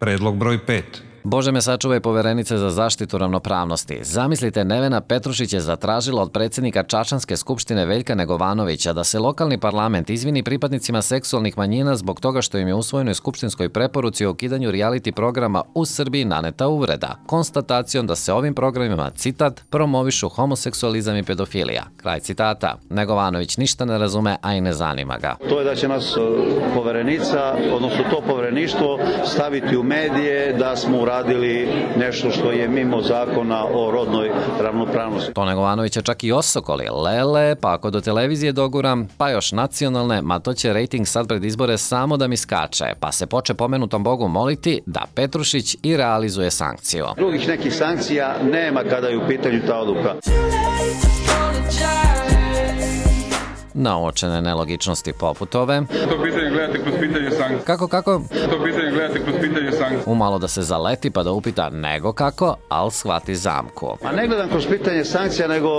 Predlog broj 5. Bože me sačuvaj poverenice za zaštitu ravnopravnosti. Zamislite, Nevena Petrušić je zatražila od predsjednika Čačanske skupštine Veljka Negovanovića da se lokalni parlament izvini pripadnicima seksualnih manjina zbog toga što im je u usvojenoj skupštinskoj preporuci o ukidanju reality programa u Srbiji naneta uvreda, konstatacijom da se ovim programima, citat, promovišu homoseksualizam i pedofilija. Kraj citata. Negovanović ništa ne razume, a i ne zanima ga. To je da će nas poverenica, odnosno to povereništvo, staviti u medije da smo uradili nešto što je mimo zakona o rodnoj ravnopravnosti. To Negovanovića čak i osokoli. Lele, pa ako do televizije doguram, pa još nacionalne, ma to će rejting sad pred izbore samo da mi skače, pa se poče pomenutom Bogu moliti da Petrušić i realizuje sankciju. Drugih nekih sankcija nema kada je u pitanju ta odluka. Na uočene nelogičnosti poput ove. To pitanje gledate kroz pitanje sankcija. Kako? To pitanje gledate kroz pitanje sankcija. Umalo da se zaleti pa da upita nego kako, al shvati zamku. A ne gledam kroz pitanje sankcija, nego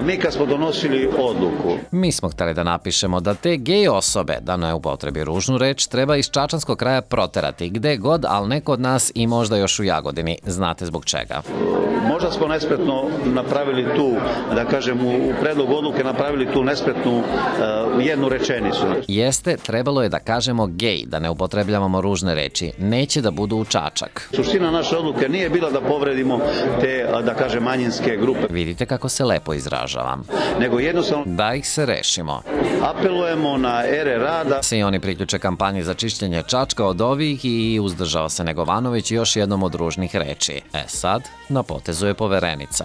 mi kad smo donosili odluku. Mi smo hteli da napišemo da te gej osobe, da ne upotrebi ružnu reč, treba iz čačanskog kraja proterati gde god, ali ne kod nas i možda još u Jagodini. Znate zbog čega. Možda smo nespretno napravili tu, da kažem, u predlogu odluke napravili tu nespretnu jednu rečenicu. Jeste, trebalo je da kažemo gej, da ne upotrebljavamo ružne reči. Neće da budu u Čačak. Suština naše odluke nije bila da povredimo te, da kažem, manjinske grupe. Vidite kako se lepo izražavam. Nego jednostavno da ih se rešimo. Apelujemo na ere rada. Se i oni priključe kampanji za čišćenje Čačka od ovih i uzdržao se Negovanović još jednom od ružnih reči. Sad, na potezu je poverenica.